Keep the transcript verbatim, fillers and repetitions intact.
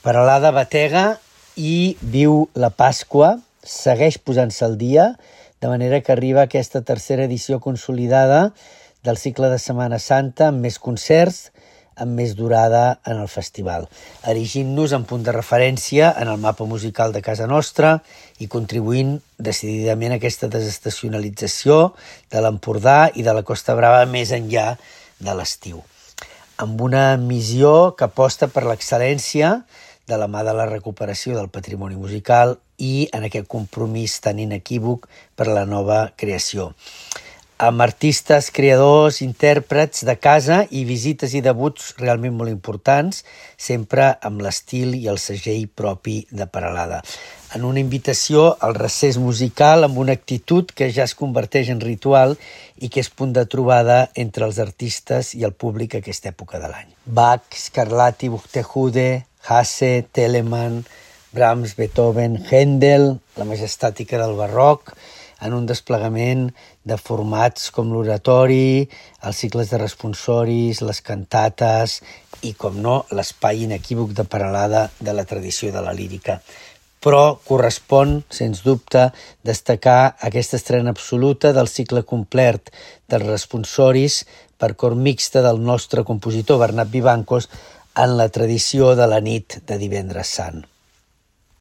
Peralada batega i viu la Pasqua, segueix posant-se al dia, de manera que arriba aquesta tercera edició consolidada del cicle de Setmana Santa amb més concerts, amb més durada en el festival, erigint-nos en punt de referència en el mapa musical de casa nostra i contribuint decididament a aquesta desestacionalització de l'Empordà i de la Costa Brava més enllà de l'estiu, amb una missió que aposta per l'excel·lència de la mà de la recuperació del patrimoni musical i en aquest compromís tan inequívoc per a la nova creació, amb artistes, creadors, intèrprets de casa i visites i debuts realment molt importants, sempre amb l'estil i el segell propi de Peralada. En una invitació al recés musical amb una actitud que ja es converteix en ritual i que és punt de trobada entre els artistes i el públic a aquesta època de l'any. Bach, Scarlatti, Buxtehude, Hasse, Telemann, Brahms, Beethoven, Händel, la majestàtica del barroc, en un desplegament de formats com l'oratori, els cicles de responsoris, les cantates i, com no, l'espai inequívoc de Peralada de la tradició de la lírica. Però correspon, sens dubte, destacar aquesta estrena absoluta del cicle complet dels responsoris per cor mixta del nostre compositor Bernat Vivancos en la tradició de la nit de Divendres Sant.